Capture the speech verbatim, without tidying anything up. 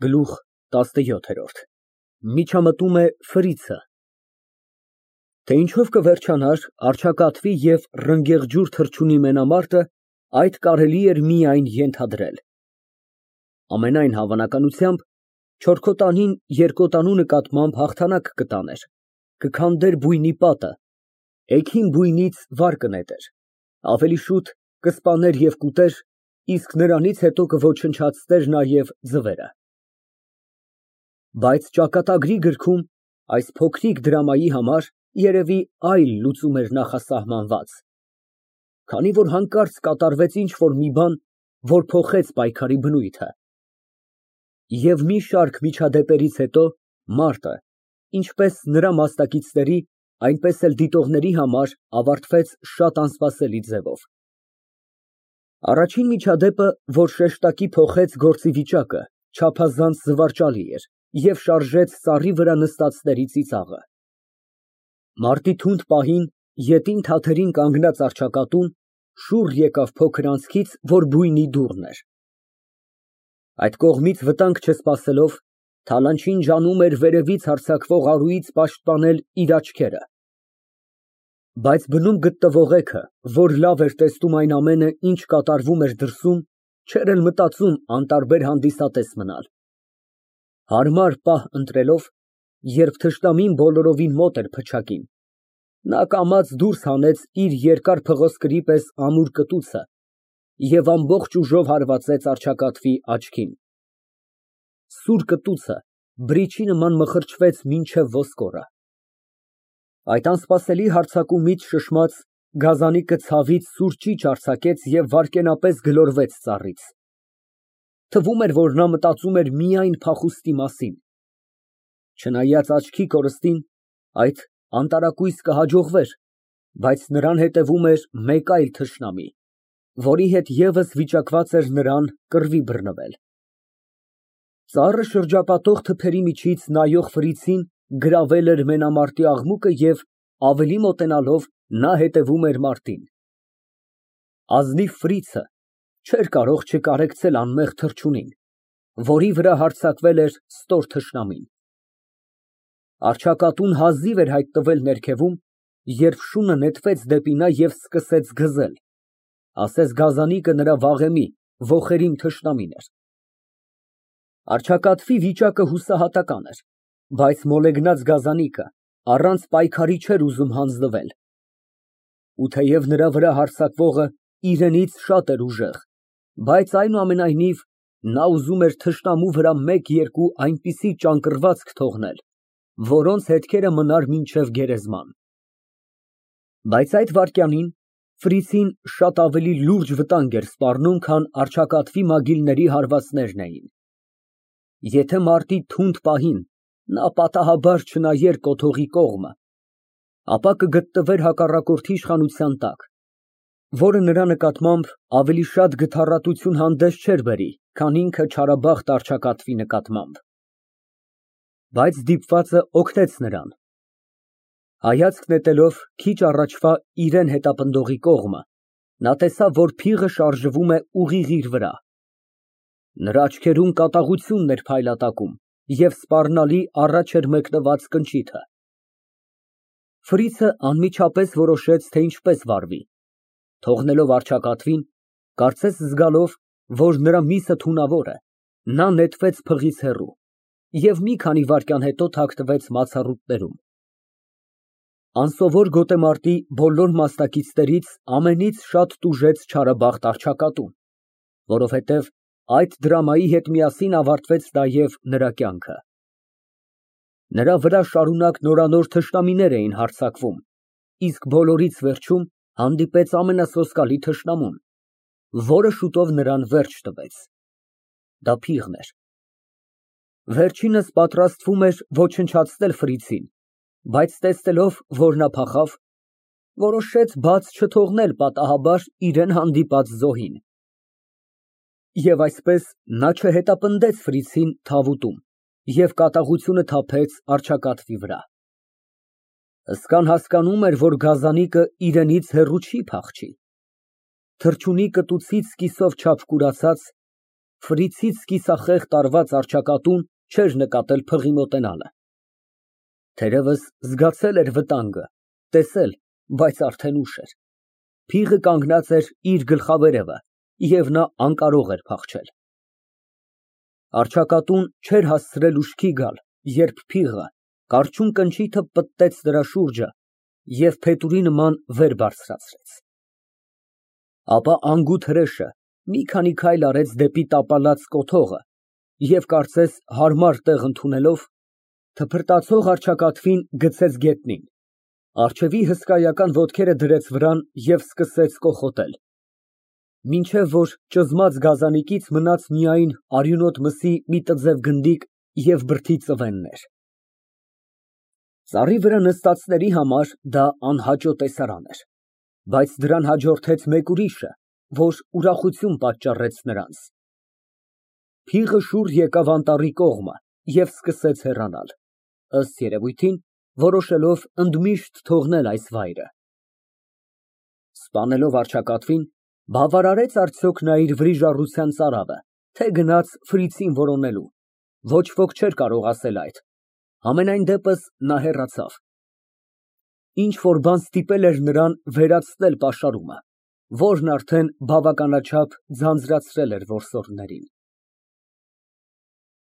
Գլուխ տասնյոթ։ Միջամտում է Ֆրիցը։ Թե ինչով կվերջանար առճակատվի և ռնգեղջյուր թռչունի մենամարտը, այդ կարելի էր միայն ենթադրել։ Ամենայն հավանականությամբ չորքոտանին երկոտանու նկատմամբ հաղթանակ կտաներ, կքանդեր բույնի պատը, էգին բույնից վար կնետեր, ավելի շուտ կսպաներ և կուտեր, իսկ նրանից հետո կոչնչացներ նաև ձվերը։ Բայց ճակատագրի գրքում այս փոքրիկ դրամայի համար երևի այլ լուծում էր նախասահմանված, քանի որ հանկարծ կատարվեց ինչ֊որ մի բան, որ փոխեց պայքարի բնույթը։ Եվ մի շարք միջադեպերից հետո մարտը, ինչպես նրա մասնակիցների, այնպես էլ դիտողների համար ավարտվեց շատ անսպասելի ձևով։ Առաջին միջադեպը, որ շեշտակի փոխեց գործի վիճակը, չափազանց զվարճալի էր և շարժեց սառի վրա նստածների ծիծաղը։ Մարտի թունդ պահին ետին թաթերին կանգնած առճակատուն շուռ եկավ փոքր անցքից, որ բույնի դուռն էր։ Այդ կողմից վտանգ չսպասելով, Թալանչին ջանում էր վերևից հարձակվող արուից պաշտպանել իր աչքերը։ Բայց բնում գտնվող էգը, որ լավ էր տեսնում այն ամենը, ինչ կատարվում էր դրսում, չէր էլ մտածում անտարբեր հանդիսատես մնալ։ Հարմար պահ ընտրելով, երբ թշնամին բոլորովին մոտ էր փչակին, նա կամաց դուրս հանեց իր երկար փղոսկրի պես ամուր կտուցը և ամբողջ ուժով հարվածեց առճակատվի աչքին։ Սուր կտուցը բրիչի նման մխրճվեց մինչև ոսկորը։ Այդ անսպասելի հարձակումից շշմած, գազանիկը ցավից սուր ճիչ արձակեց և վայրկենապես գլորվեց ծառից։ Թվում էր, որ նա մտածում էր միայն փախուստի մասին։ Չնայած աչքի կորստին, այդ անտարակույս կհաջողվեր, բայց նրան հետևում էր մեկ այլ թշնամի, որի հետ ևս վիճակված էր նրան կռվի բռնվել։ Ծառը շրջապատող թփերի միջից նայող Ֆրիցին գրավել էր մենամարտի աղմուկը և, ավելի մոտենալով, նա հետևում էր մարտին։ Ազնիվ Ֆրիցը չէր կարող չկարեկցել անմեղ թռչունին, որի վրա հարձակվել էր ստոր թշնամին։ Առճակատուն հազիվ էր հայտնվել ներքևում, երբ շունը նետվեց դեպի նա և սկսեց գզել, ասես գազանիկը նրա վաղեմի ոխերիմ թշնամին էր։ Առճակատվի վիճակը հուսահատական էր, բայց մոլեգնած գազանիկը առանց պայքարի չէր ուզում հանձնվել։ Ու թեև նրա վրա հարձակվողը իրենից շատ էր ուժեղ, բայց այնուամենայնիվ նա ուզում էր թշնամու վրա մեկ֊երկու այնպիսի ճանկռվածք թողնել, որոնց հետքերը մնար մինչև գերեզման։ Բայց այդ վայրկյանին Ֆրիցին շատ ավելի լուրջ վտանգ էր սպառնում, քան առճակատվի մագիլների հարվածներն էին։ Եթե մարտի թունդ պահին նա պատահաբար չնայեր կոթողի կողմը, ապա կգտնվեր հակառակորդի իշխանության տակ, որը նրա նկատմամբ ավելի շատ գթառատություն հանդես չէր բերի, քան ինքը չարաբախտ առճակատվի նկատմամբ։ Բայց դիպվածը օգնեց նրան։ Հայացք նետելով քիչ առաջվա իրան հետապնդողի կողմը, նա տեսավ, որ փիղը շարժվում է ուղիղ իր վրա։ Նրա աչքերում կատաղությունն էր փայլատակում և սպառնալի առաջ էր մեկնված կնճիթը։ Ֆրիցը անմիջապես որոշեց, թե ինչպես վարվի, թողնելով առճակատվին, կարծես զգալով, որ նրա միսը թունավոր է, նա նետվեց փղից հեռու և մի քանի վայրկյան հետո թաքնվեց մացառուտներում։ Անսովոր գոտեմարտի բոլոր մասնակիցներից ամենից շատ տուժեց չարաբախտ առճակատուն, որովհետև այդ դրամայի հետ միասին ավարտվեց նաև նրա կյանքը։ Նրա վրա շարունակ նորանոր թշնամիներ էին հարձակվում, իսկ բոլորից վերջում հանդիպեց ամենասոսկալի թշնամուն, որը շուտով նրան վերջ տվեց։ Դա փիղն էր։ Վերջինս պատրաստվում էր ոչնչացնել Ֆրիցին, բայց տեսնելով, որ նա փախավ, որոշեց բաց չթողնել պատահաբար իրան հանդիպած զոհին։ Եվ այսպես նա չհետապնդեց Ֆրիցին թավուտում և կատաղությունը թափեց առճակատվի վրա։ Հսկան հասկանում էր, որ գազանիկը իրենից հեռու չի փախչի։ Թռչունի կտուցից կիսով չափ կուրացած, Ֆրիցից կիսախեղ տարված առճակատուն չէր նկատել փղի մոտենալը։ Թերևս զգացել էր վտանգը, տեսել, բայց արդեն ուշ էր։ Փիղը կանգնած էր իր գլխավերևը, և նա անկարող էր փախչել։ Առճակատուն չէր հասցրել ուշքի գալ, երբ փիղը կարճուն կնճիթը պտտեց նրա շուրջը և փետուրի նման վեր բարձրացրեց։ Ապա անգութ հրեշը մի քանի քայլ արեց դեպի տապալած կոթողը և, կարծես հարմար տեղ ընդունելով, թփրտացող առճակատվին գցեց գետնին, առջևի հսկայական ոտքերը դրեց վրան և սկսեց կոխոտել, մինչև որ ճզմած գազանիկից մնաց միայն արյունոտ մսի մի տձև գնդիկ և բրդի ծվեններ։ Ծառի վրա նստածների համար դա անհաճո տեսարան էր, բայց դրան հաջորդեց մեկ ուրիշը, որ ուրախություն պատճառեց նրանց։ Փիղը շուռ եկավ անտառի կողմը և սկսեց հեռանալ, ըստ երևույթին, որոշելով ընդմիշտ թողնել այս վայրը։ Սպանելով առճակատվին, բավարարեց արդյոք նա իր վրիժառության ծարավը, թե գնաց Ֆրիցին որոնելու։ Ոչ ոք չէր կարող ասել այդ, համենայն դեպս նա հեռացավ։ Ինչ֊որ բան ստիպել էր նրան վերացնել պաշարումը, որն արդեն բավականաչափ ձանձրացրել էր որսորդներին։